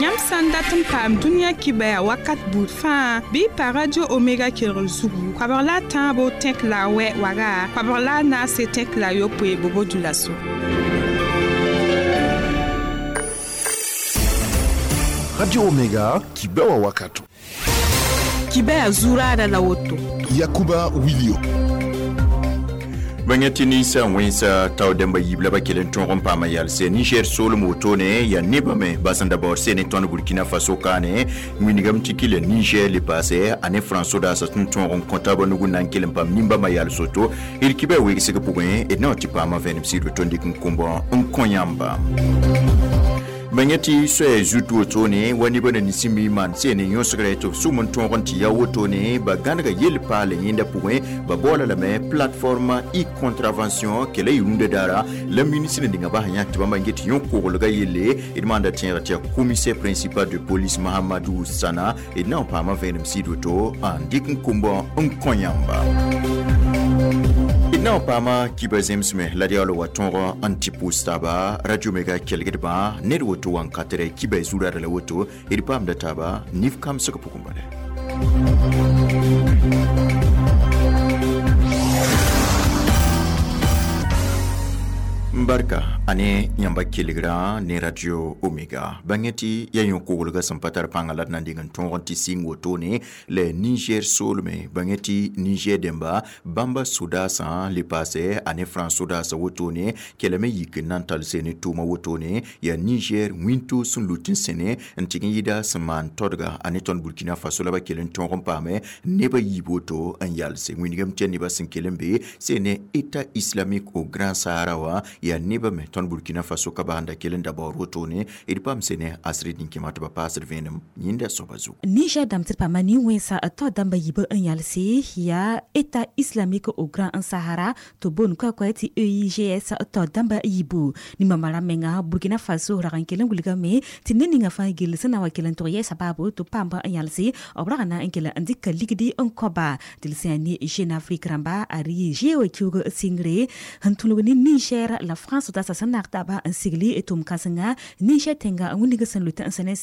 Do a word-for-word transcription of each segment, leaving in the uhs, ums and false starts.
Yãmb sã n dat n paam dũniyã kibaya wakat buud fãa bɩ y pa radio Omega kelgr zugu koabg la a tãabo tẽk la a wɛ waga koabg la a naase tẽk la a yopoe bobo-dioulasso. Radio Omega kibewa wakato. Kibaya zurada la woto. Yakuba Wilio. Bãngɛ ninsa wẽnsa tao dẽmba yiib la ba kell n tõog n paama yalse Niger soolem wotone yaa nebã me bas n da baood sene tõnd Burkina Faso kaane wĩnigame tɩ kɩla Niger le paase a ne France sodaasã tɩ n tõog n kõ taabã nug n na n kell n paam nimbãmbã yals woto d kibã wegsg pʋgẽ d na tɩ paama vẽenem sɩd woto n dɩk n kõbã n kõ yãmba. Bãngɛ tɩ soɛɛ zut wotone wa nebã na ninsẽn maan sene yõsgrɛ tɩ b sʋm n tõog n tɩ ya wotone ba gãnega yel paal yẽnda pʋgẽ ba baoola lame plateforme e-contravention kela y rũndã daara la ministre ninga bas yãk tɩ bãmba n get yõ-koglga yelle d maanda tẽegr tɩ yaa commissaire principal de police Mahamadou Sana d na n paama vẽenem sɩd woto n dɩk n kombã n kõ yãmba. Na paama kiba zemsme la d yaool wa tõog n tɩ pʋʋs taaba radio Omega kelgdbã ned woto wa n katrɛ kiba zurada la woto d paamda taaba nif kamsg pʋgẽ bala. Barka ane yãmba kelgrã ne radio Omega bãngɛ tɩ yaa yõ-koglgã sẽn pa tar pãngã la d na n deng n tõog n tɩ sɩng wotone la Niger soolme bãngɛ tɩ Niger dẽmba bãmba sodaasã le paase a ne France sodaasã wotone kelame yik n na n tall sene tʋʋma wotone yaa Niger wĩnto sẽn lut n sẽne n tɩg n yɩda sẽn maan todga a ne tõnd Burkina Faso la ba kell n tõog n paame nebã yiib woto n yalse wĩnigame tɩ yaa nebã sẽn kell n be sene État islamique au Grand Sahara wã yaa nebã me tõnd Burkina Faso ka basẽnda kell n da baood wotone d paam sene asred nin-kẽma tɩ ba paasd vẽenem yẽnda soaba zugu. Niger dãmb tɩ d paama nin-wẽnsa tao dãmba yiibã n yalse yaa État islamique au Grand Sahara tɩ boond koɛ-koɛ tɩ E I G S tao dãmba yiibu nimbãmbã rãmb menga Burkina Faso rag n kell n wilgame tɩ ned ninga fãa gill sẽn na wa kell n tog yɛɛsa baabo tɩ paamba n yalse b rag n na n kell n dɩka ligdi n kõba tɩ d sẽn yaa ne Jeune Afrique rãmba a rɩ zeoog kiuug sɩngre sẽn tũlg ne Niger la France sodaasã sẽn naag taaba n sigli tʋm kãsenga Niger tẽnga n wilg sẽn lut n sẽne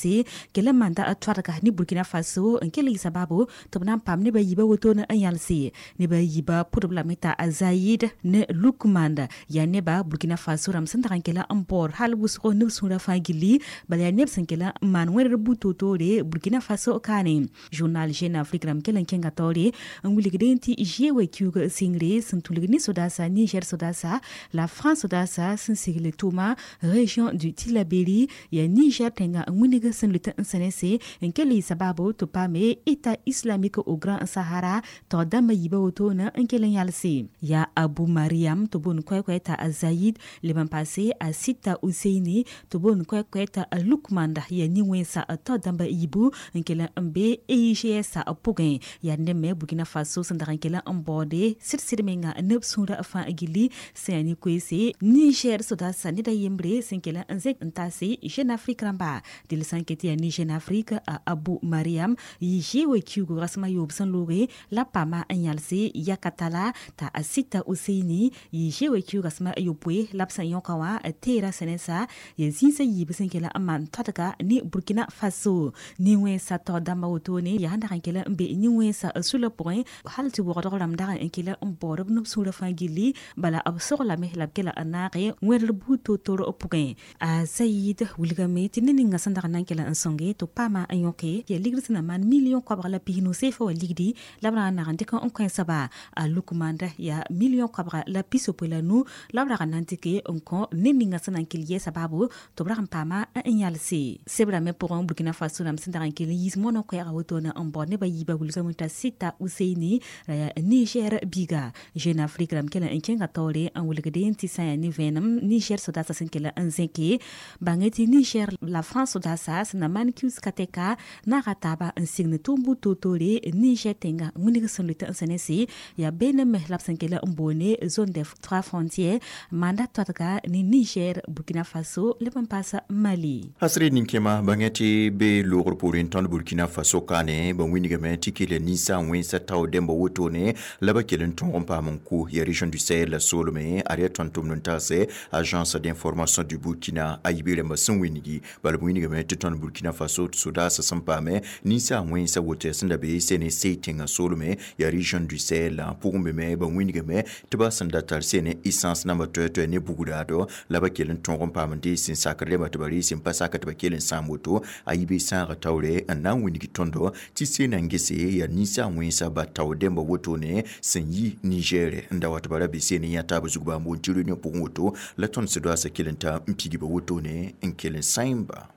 kell n manda toadga ne Burkina Faso n kell yɩ sababu tɩ b na n paam nebã yiibã wotone n yalse nebã yiibã pʋdb lame t'a Zayid ne Lukmand yaa neba Burkina Faso rãmb sẽn dag n kell n baood hal wʋsgo neb sũurã fãa gilli bala yaa neb sẽn kell n maan wẽdr bu-toor-toore Burkina Faso kaane. Journal Jeune Afrique rãmb kell n kẽnga taoore n wilgdẽ tɩ zeoog kiuug sɩngre sẽn tũlg ne sodaasã Niger sodaasã la France sodaasã sẽn sigl tʋʋma région du Tillabéri yaa Niger tẽnga n wilg sẽn lut n sẽnese n kell yɩ sababu tɩ paame État islamique au Grand Sahara tao dãmbã yiibã wotone n kell n yalse yaa Abu Mariam tɩ boond koɛ-koɛ t'a Zayid leb n paase a Sita Useini tɩ boond koɛ-koɛ t'a Lukmanda yaa nin-wẽnsa tao dãmbã yiibu n kell n be E I G S pʋgẽ yaa neb me Burkina Faso sẽn dag n kell n baoode sɩd-sɩd menga neb sũurã fãa gilli sẽn yaa ne-koeese Niger sodaasã ned a yembre sẽn kell n zẽk n taase Jeune Afrique rãmba dɩl sã n ket yaa ne Jeune Afrique a Abu Mariam yɩ zeoog kiuug rasem a yoob sẽn looge la paama n yalse yakatala t'a Sita Useini yɩ zeoog kiuug rasem a yopoe la b sẽn yõka wã teera sẽnensa yaa zĩisã yiib sẽn kell n maan todga ne Burkina Faso nin-wẽnsa tao dãmbã wotone yaa sẽn dag n kell n be nin-wẽnsa sula pʋgẽ hal tɩ wogdg rãmb dag n kell n baood b neb sũurã fãa gilli bala b soglame la b kela n naage wẽdr buud toor-toor pʋgẽ. A Zayid wilgame tɩ ned ninga sẽn dag n na n kell n sõnge tɩ paama n yõke yaa ligd sẽn na maan million koabg la pisnu seefa wa ligdi la b rag n nag n dɩk n kõ soaba a Lukmanda yaa million koabga la pisopoe la nu la b rag n na n dɩke n kõ ned ninga sẽn na n kell yɛɛ sababu tɩ b rag n paama n yalse sebrã me pʋgẽ Burkina Faso rãmb sẽn dag n kell n yiis moanã koɛɛga wotone n baood nebã yiibã wilgame t'a Sita Useini ra yaa Niger biiga. Jeune Afrique rãmb kell n kẽnga taoore n wilgdẽ tɩ sã n yaa ne vẽenem Niger sodaasã sẽn kell n zẽke bãngɛ tɩ Niger la France sodaasã sẽn na maan kius katɛka naaga taaba n sign tʋʋm bu-toor-toore Niger tẽnga wilg sẽn lut n sẽnese yaa beene me la b sẽn kell n boone zone des trois frontières manda toadga ne Niger Burkina Faso leb n paas Mali. Asre nin-kẽma bãngɛ tɩ be loogr poorẽ tõnd Burkina Faso kaane ba wĩnigame tɩ kell ninsa wẽnsa tao dẽmba wotone la ba kell n tõog n paam n kʋ yaa région du Sahel la soolme a yaa tõnd tʋmd n taas pagse Agence d'information du Burkina a yibe rãmbã sẽn wĩngi bala b wĩnigame tɩ tõnd Burkina Faso sodaasã sẽn paame ninsaag wẽnsa woto sẽn da be sene sey tẽngã soolme yaa région du Sahel pʋgẽ be me ba wĩnigame tɩ ba sẽn da tar sene essence namba toɛ-toɛ ne bugdaado la ba kell n tõog n paam n dees sẽn sakr rẽmba tɩ ba rees n pa sak tɩ ba kell n sãam woto a yibe sãaga taoore n na n wĩngi tõndo tɩ sena n gese yaa ninsaag wẽnsa ba tao dẽmba wotone sẽn yi Niger n da wa tɩ ba ra be sene yã taab zug bãmb wʋn tɩ réunion pʋgẽ woto la tõnd sodaasã kell n ta n pigba wotone n kell n sãemba.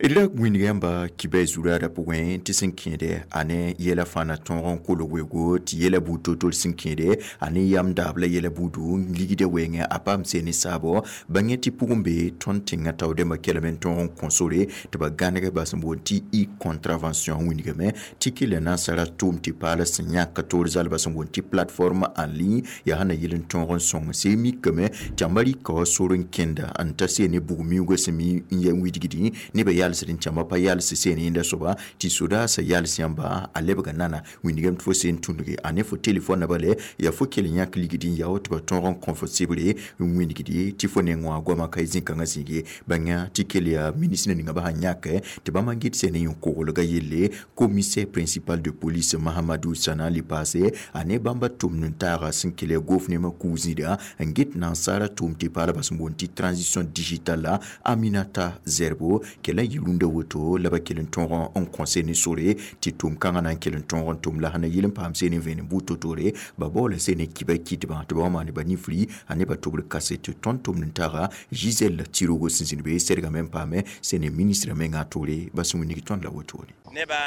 D ra wĩnga yãmba kibɛ zuraada pʋgẽ tɩ sẽn kẽede a ne yɛla fãa na tõog n kolg weogo tɩ yɛla buud to-to sẽn kẽede a ne yam daab la yɛla buudu n ligda wɛɛngẽ a paam seen ne saabo bãngẽ tɩ pʋgẽ be tõnd tẽngã tao dẽmbã kelme n tõog n kõ sore tɩ ba gãneg bas n boond tɩ e contravention wĩnigame tɩ kell n nansara tʋʋm tɩ paala sẽn yãk toor zalba sẽn boond tɩ plateforme en ligne yaa sẽn na yɩl n tõog n sõng see mikame tɩ yãmba rɩka wa sor n kẽnda n ta see ne bug-miuugã sẽn mi n ya widgdẽ nebã yals n tãmba pa yals seen yẽnda soaba tɩ sodaasã yals yãmba a lebga nana wĩnigame tɩ fo seen tũnge a ne fo telefon na bale yaa fo kell n yãk ligd n yao tɩ ba tõog n kõ fo sebre n wĩnigdi tɩ fo neng wã goamã ka zĩ-kãngã zĩige bãnga tɩ kell yaa ministre ninga ba sãn yãk tɩ bãmb n gɩd sẽn ne yõ-koglgã yelle commissaire principal de police Mahamadou Sana le paase a ne bãmba tʋmd n taaga sẽn kell yaa gouvernement kuu zĩida n get nansaara tʋʋm tɩ paala sẽn boond tɩ transition digitale Aminata Zerbo kell n yɩ rũndã woto la ba kell n tõog n kõ ne sore tɩ tʋʋm kãngã na n kell n tõog n tʋm la sẽn na yɩl n paam seen n vẽenem buud to-toore ba baoola seen n kibã kɩtbã tɩ ba wa maan ba nifri a ne ba tʋbr kaset tõnd tʋmd n taga Gisèle Tsirogo sẽn zĩnd be sergame n paame sẽn ne ministrã mengã toore ba sẽn wĩnig tõnd la wotone. Nebã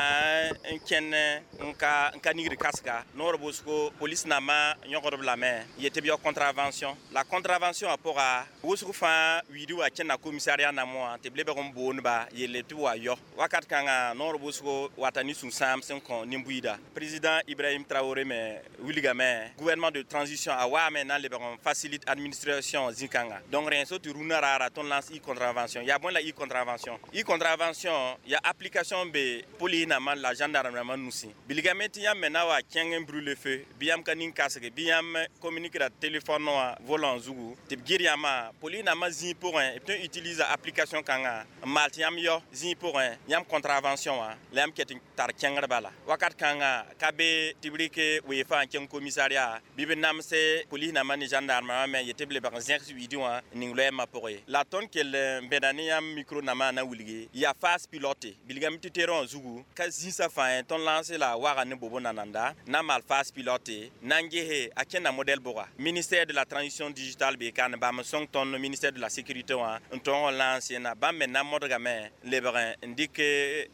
n kẽnd n ka n ka nigd kasga noor wʋsgo polis nambã yõgdb lame yetɩ b yao contravention la contravention wã pʋga wʋsg fãa wiidi wa kẽnda commissariat nambã wã tɩ b lebg n boonba yelle tɩ b wa yao wakat kãngã noor wʋsgo wata ne sũ-sãam sẽn kõ nin-buiida président Ibrahim Traoré me wilgame gouvernement de transition a waame na n lebg n facilite administration zĩ-kãnga donc rẽ so tɩ rũnã raara tõnd lance e contravention yaa bõe la e contravention e contravention ya application be police nambã la gendarme nambã nusẽ bilgame tɩ yãmb me na wa kẽng n brûle feu bɩ yãmb ka ning kasge bɩ yãmb communique ra téléphone wã volant zugu tɩ b gɩr yãmbã police nambã zĩig pʋgẽ b tõe n utilise application kãngã n maal tɩ yãmb yao zĩig pʋgẽ yãmb contravention wã la yãmb ket n tar kẽngr bala wakat kãngã ka be tɩ b rɩk weefã n kẽng commissariat bɩ b namse police nambã ne gendarme wã me yetɩ b lebg n zẽgs wiidẽ wã n ning loɛɛmã pʋgẽ ye la tõnd kell n bẽda ne yãmb micro nambã na wilgi yaa phase pilote bilgame tɩ terrain wã zugu ka zĩsã fãa tõnd lance la waga ne bobo nananda na maal phase pilote na n gese a kẽnda modèle bʋga ministère de la transition digitale be ka ne bãmb n sõng tõnd ministère de la sécurité wã n tõog n lance na bãmb me na modgame n lebg n dɩk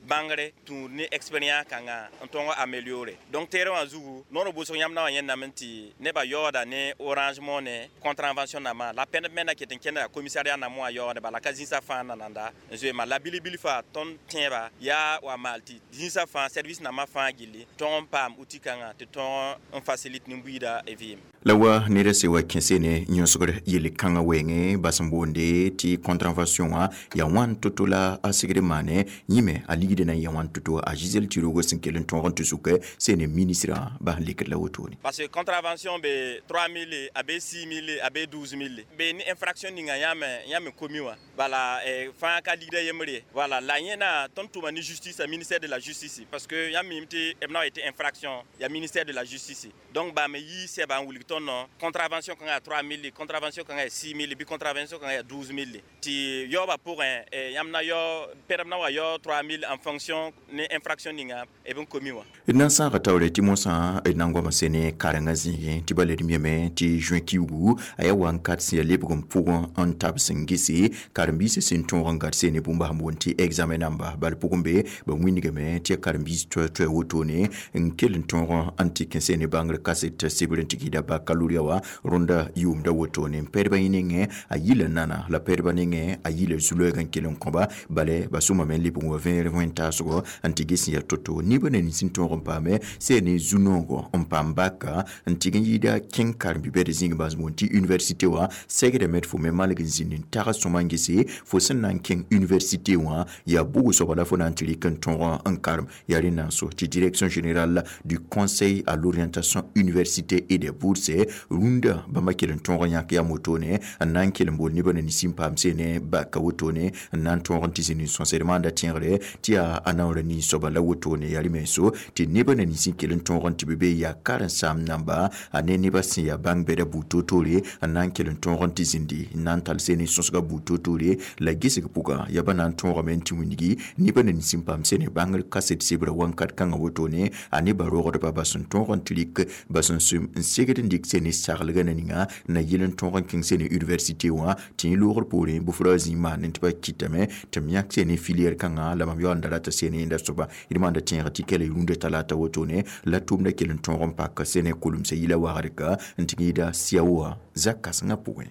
bãngre tũud ne expérience kãngã n tõog améliorer donc terrain wã zugu noor wʋsg yãmb na wa yẽndame tɩ nebã yaooda ne Orange Money contravention nambã la pẽnd me na ket n kẽnda commissariat nambã wã yaoode bala ka zĩsã fãa nananda n zoe ma la bilbil faa tõnd tẽeba yaa wa maal tɩ zĩsã fãa service nambã fãa gilli tõog n paam outil kãngã tɩ tõog n facilite nin-buiida vɩɩm. La wa ned se wa kẽse ne yõsgr yel-kãngã wɛɛngẽ bas n boonde tɩ contravention wã yaa wãn to-to la a segd maane yĩme a ligd na n yaa wãn to-to a Gisèle Tsirogo sẽn kell n tõog n tɩ sʋk sẽn ne ministrã bas n lekd la wotone. Parce que contravention be trois mille, a be six mille, a be douze mille be ne infraction ninga yãmb yãmb komi wã bala fãa ka ligda yembre voilà la yẽna tõnd tʋma ne justice a ministère de la justice parce que yãmb mim tɩ b na wa yetɩ infraction ya ministère de la justice donc bame yi sɛba n wilg tõnd contravention kãngã ya trois mille, contravention kãngã ya six mille bɩ contravention kãngã ya douze mille tɩ yaoobã pʋgẽ yãmb na yao pɛdb na wa yao trois mille en fonction ne infraction ninga b n komi wã. D na n sãaga taoore tɩ mosã d na n goama sene karengã zĩigẽ tɩ ba led yeme tɩ juin kiugu a yaa wa n kat sẽn yaa lebg n pʋgẽ n tab sẽn gese karen-biisã sẽn tõog n gad sene bũmb sẽn boond tɩ examen namba bal pʋgẽ be ba wĩnigame tɩ ya karen-biis toɛ-toɛ wotone n kell n tõog n tɩ kẽ sene bãngr kaset sebr n tɩ kɩɩda baccalauréat wã rõnda yʋʋmda wotone n pɛdbã yẽ nengẽ a yila nana la pɛdbã nengẽ a yila zu-loɛɛg n kell n kõba bala ba sõmame n lebg n wa vẽer wẽn-taasgɔ n tɩ ges n yaa to-to nibã na nins n tõog n paame sẽn ne zu-noogɔ n paam baka n tɩg n yɩɩda kẽng karen-bi-bɛd zĩig bas boond tɩ université wã segdame tɩ fo me malg n zĩnd n tag sõma n gese fo sẽn na n kẽng université wã yaa bʋg soaba la fo na n tɩ rɩk n tõog n karem yaa rẽnd na n so tɩ direction générale du Conseil à l'orientation université et des bourses. gese rũndã bãmba kell n tõog n yãk yam wotone n na n kell n bool nebã na nins n paam sene baka wotone n na n tõog n tɩ zĩnd n sõsd maanda tẽegre tɩ yaa a naoora nin-soaba la wotone yaa rẽ-menso tɩ nebã na nins n kell n tõog n tɩ b be yaa karen-saam namba a ne nebã sẽn yaa bãng bɛda buud toor-toore n na n kell n tõog n tɩ zĩndi n na n tall sene sõsga buud toor-toore la gesg pʋgã yaa ba na n tõogame n tɩ wilgi nebã na nins n paam sene bãngr kaset sebra wãnkat kãngã wotone a nebã rogdba bas n tõog n tɩ rɩk bas n sʋm n segd n dɩk sene saglgã na ninga na yɩl n tõog n kẽng sene université wã tɩ yẽ loogr poorẽ bʋfra zĩig maan tɩ ba kɩtame tɩ m yãk sene filière kãngã la mam yaool n da rata sene yẽnda soaba d maanda tẽeg tɩ kɛla rũndã talata wotone la tʋʋmdã kell n tõog n pak sene kolmsã yɩla wagdka n tɩ yɩɩda siaoa zak-kãsengã pʋgẽ.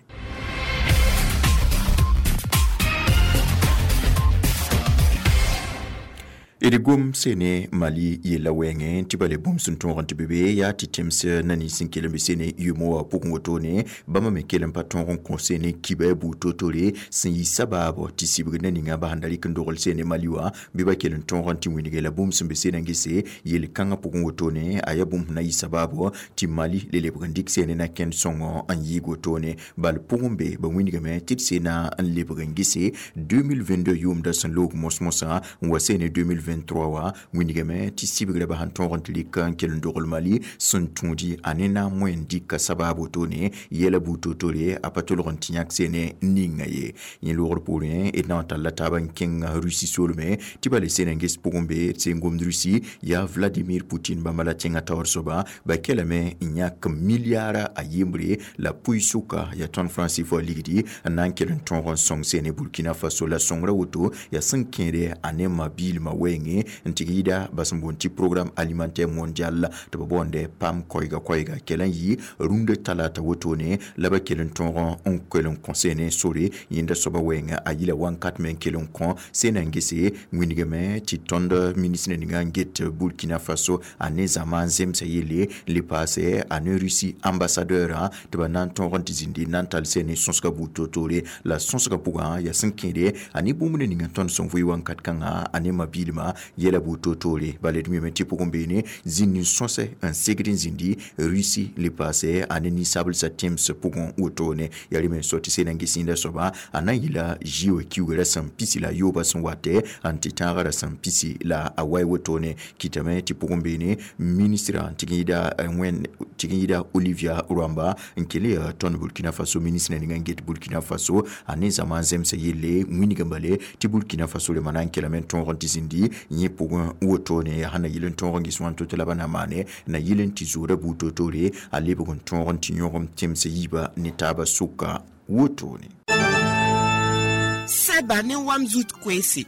D gom sene Mali yella wɛɛngẽ tɩ ba le bũmb sẽn tõog n tɩ be be yaa tɩ tẽms na nins n kell n be sene yʋʋmã wã pʋgẽ wotone bãmba me kell n pa tõog n kõ sene kiba buud toor-toore sẽn yɩ sabaabo tɩ sibg na ninga ba sẽn da rɩk n dogl sene Mali wã bɩ ba kell n tõog n tɩ wilge la bũmb sẽn be sena n gese yel-kãngã pʋgẽ wotone a yaa bũmb sẽn na yɩ sabaabo tɩ Mali le lebg n dɩk sene na kẽnd sõngo n yɩɩg wotone bal pʋgẽ be ba wilgame tɩ d sena n lebg n gese deux mille vingt-deux yʋʋmdã sẽn loog mos-mosã n wa sene deux mille vingt-trois wa wilgame tɩ sibgrã ba sẽn tõog n tɩ rɩk n kell n dogl Mali sẽn tũudi a ne na n moẽ n dɩka sabaab wotone yɛla buud toor-toore a pa tolg n tɩ yãk sene ninga ye yẽ loogr poorẽ d na n talla taab n kẽng Rusi soolme tɩ ba le sena n ges pʋgẽ be d sẽn gomd Rusi yaa Vladimir Putin bãmba la tẽngã taoor soaba ba kelame n yãk milliara a yembre la pʋɩ-sʋka yaa tõnd franc CFA ligdi n na n kell n tõog n sõng sene Burkina Faso la sõngrã woto yaa sẽn kẽede a ne ma-biilmã wɛɛngẽ n tɩ yɩɩda bas n boond tɩ programme alimentaire mondial tɩ b boonde PAM koɛɛga koɛɛga kell n yɩ rũndã talata wotone la ba kell n tõog n kell n kõ sene sore yẽnda soaba wɛɛngã a yɩla wãnkat me n kell n kõ sena n gese wilgame tɩ tõnd ministre ninga n get Burkina Faso a ne zãma n zemsa yelle le paase a ne Russie ambassadeur tɩ ba na n tõog n tɩ zĩndi n na n tall sene sõsga buud toor-toore la sõsga pʋgã yaa sẽn kẽede a ne bũmb ninga tõnd sẽn vʋɩ wãnkat kãngã a ne ma-biilmã yɛla buud toor-toore bala d mime tɩ pʋgẽ beene zĩnd n sõsɛ n segd n zĩndi Russie le paase a ne ninsablsã tẽms pʋgẽ wotone yaa rẽ me n so tɩ sena n ges yẽnda soaba a na n yɩla zɩ wã kiuugrã sẽn pisi la a yoobã sẽn watɛ n tɩ tãagrã sẽn pisi la a wae wotone kɩtame tɩ pʋgẽ beene ministrã n tɩg n yɩɩda wẽnd tɩg n yɩɩda Olivia Rwamba n kell yaa tõnd Burkina Faso ministrã ninga n get Burkina Faso a ne zãma n zemsa yelle wĩnigã bale tɩ Burkina Faso rẽmba na n kelame n tõog n tɩ zĩndi yẽ pʋgẽ wotone yaa sẽn na yɩl n tõog n ges wãn to tɩ la ba na maane na yɩl n tɩ zoora buud toor-toore a lebg n tõog n tɩ yõgem tẽms yiibã ne taabã sʋka wotone. Sɛba ne wam zut koeese.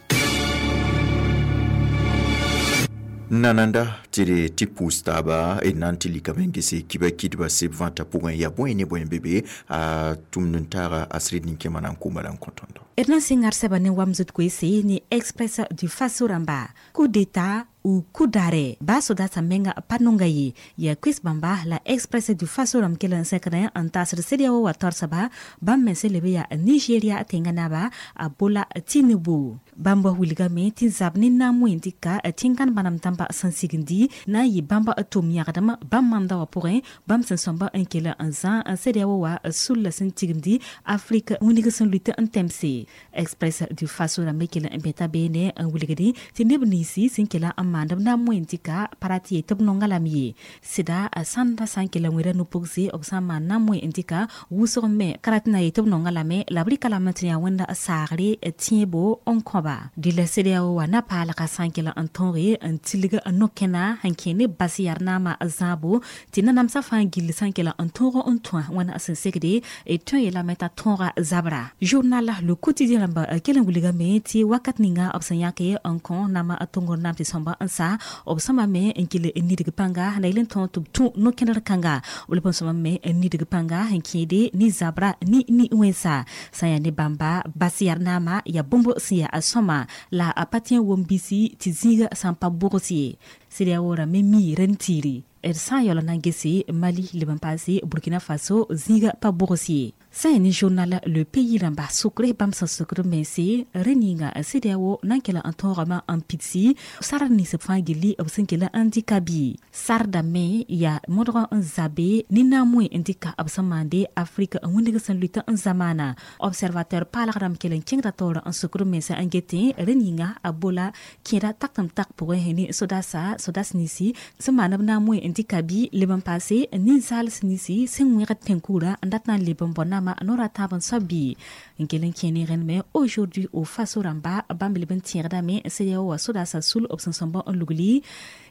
Nananda tɩ d tɩ pʋʋs taaba d na n tɩ likame n gese kiba kɩdba seb vãntã pʋgẽ yaa bõe ne bõe n be be a tʋmd n taaga a sɩd nin-kẽma na n kʋma la n kõ tõndo. D na n sɩng ad sɛba ne wam zut koeese ne Express du Faso rãmba coup d'état ou coup d'arrêt ba soda menga panonga ye ya quiz bamba la Express du Faso ram kelen sekre an tasr sedia wa torsaba bam men selebe ya Nigeria tengana ba a Bola Tinubu bamba wilga me tin zabni na muindika tingan banam tamba sansigindi na yi bamba atom yagdama bam manda wa pourrin bam sen somba en kele an zan an sedia wa sul la sentigindi Afrique uniga sen lutte en temse Express du Faso ram kelen beta bene an wilgadi tinebnisi sen kela am mandam na moentika parati tɩ b nonga lame ye sɩda a sãnda sã n kell n wẽra no-pʋgse b sã n maan na n moe n dɩka wʋsg me karat na ye tɩ b nonga lame la b rɩka lame tɩ yaa wẽnda saagre tẽebo n kõba dɩla CEDEAO wa na paalga sã n kell n tõoge n tilg no-kẽna sẽn kẽ ne bas yar naamã zãabo tɩ nanamsã fãa gill sã n kell n tõog n tõa wãna sẽn segde tõe yeelame t'a tõoga zabra. Journal Le Quotidien rãmba kell n wilgame tɩ wakat ninga b sẽn yãke n kõ nama tõngr naam tɩ sõmba n sa b sõma me n kell n nidg pãnga na yel n tõog tɩ b tũ no-kẽndr kãnga b leb n sõma me n nidg pãnga sẽn kẽede ne zabra ne ni-wẽnsa sã n yaa ne bãmba bas yar naamã yaa bũmb sẽn yaa a sõma la a pa tẽ n wom bisi tɩ zĩiga sã n pa bʋgs ye CEDEAO rã me mi rẽn tiiri. D sã n yaool n na n gese Mali leb n paase Burkina Faso zĩiga pa bogs ye. Sã ne journal Le Pays rãmba sokre bãmb sẽn sokd b mense rẽ ninga CEDEAO na n kell n tõogame n pidsi sar nins b fãa gilli b sẽn kell n dɩka bɩ sarda me yaa modg n zabe ne naam-wẽ n dɩka b sẽn maande Afrique n wĩndg sẽn luit n zamaana. Observateur paalg rãmb kell n kẽngda taoor n sokd b mense n getẽ rẽ ninga a bola kẽeda tak tɩ m tak pʋgẽ ne sodasa sodas ninsi sẽn maan b naam-wẽ n dɩka bɩ leb n paase ninsaals ninsi sẽn wẽgd tẽn-kuurã n dat na n leb n bɔ nama noora tãab n soab bɩ n kell n kẽ ne rẽnd Aujourd'hui au Faso rãmba bãmb leb n tẽegdame CEDEAO wa sodasa sul b sẽn sõmb n lugli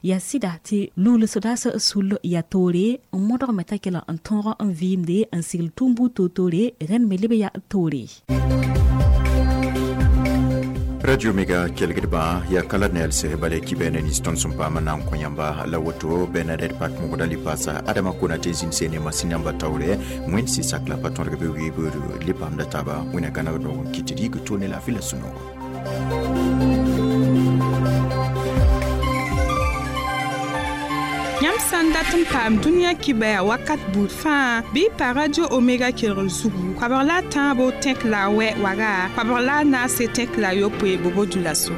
yaa sɩda tɩ lugl sodasa sul yaa toore n modgme t'a kell n tõog n vɩɩmde n sigl tũum buud toor-toore rẽnd me leb yaa toore. Radio Mega kelgdba ya kala nel se bale kibene ni ston sum pa manan ko yamba la woto Bernadette Pak mo dali pasa Adama Konate zin sene masinamba tawre wen si sakla paton rebe wi buru lipam da taba wina kana do kitidi ko tone la fila suno. Yãmb sã n dat n paam dũniyã kibaya wakat buud fãa bɩ pa Radio Omega kelgr zugu koabg la a tãabo tẽk la a wɛ waga koabg la a naase tẽk la a yopoe bobo dulaso.